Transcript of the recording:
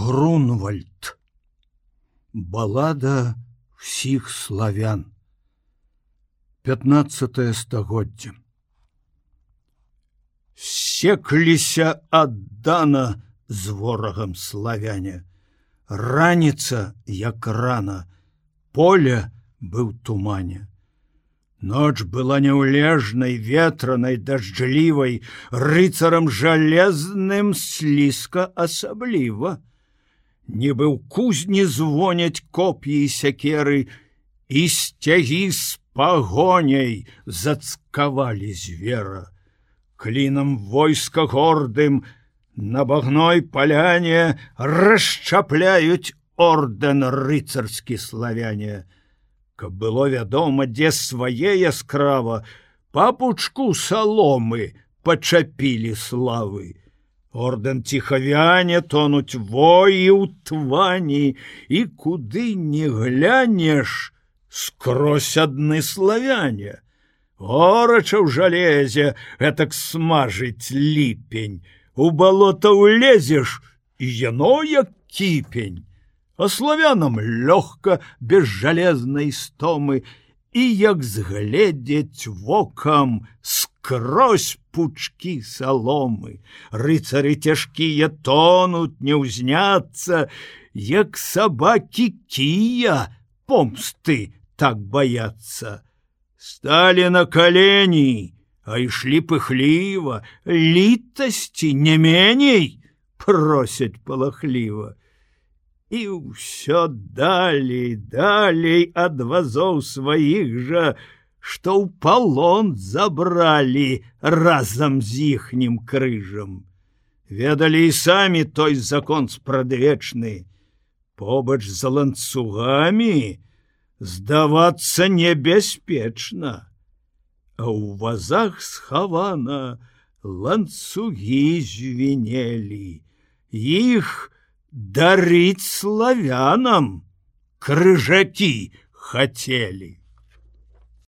Грунвальд. Балада всіх славян. 15 стагоддзе. Секліся аддана з ворагам славяне. Раніца, як рана, поле быў тумане. Ноч была няўлежнай, ветранай, дажджлівай, рыцарам жалезным слізка асабліва. Нібы ў кузні звоняць коп'і і сякеры, і сцягі з пагоняй зацкавалі звера. Клінам войска гордым на багной паляне расчапляюць ордэн рыцарскі славяне. Каб было вядома, дзе свае яскрава, па пучку саломы пачапілі славы. Ордэн ціхавяне тонуць воі ў твані, і куды не глянеш, скрозь адны славяне. Горача ў жалезе гэтак смажыць ліпень, у балота ўлезеш, і яно як кіпень. А славянам лёгка, без жалезнай стомы, і як згледзець вокам скрозь пучкі саломы. Рыцары цяжкія тонуць, не ўзняцца, як сабакі кія помсты так баяцца. Сталі на калені, а ішлі пыхліва, літасці не меней просяць палахліва. І ўсё далей ад вазоў сваіх жа, што ў палон забралі разам з іхнім крыжам. Ведалі і самі той закон спрадвечны. Побач з ланцугамі здавацца небяспечна, а ў вазах схавана ланцугі звінелі. Іх дарыць славянам крыжакі хацелі.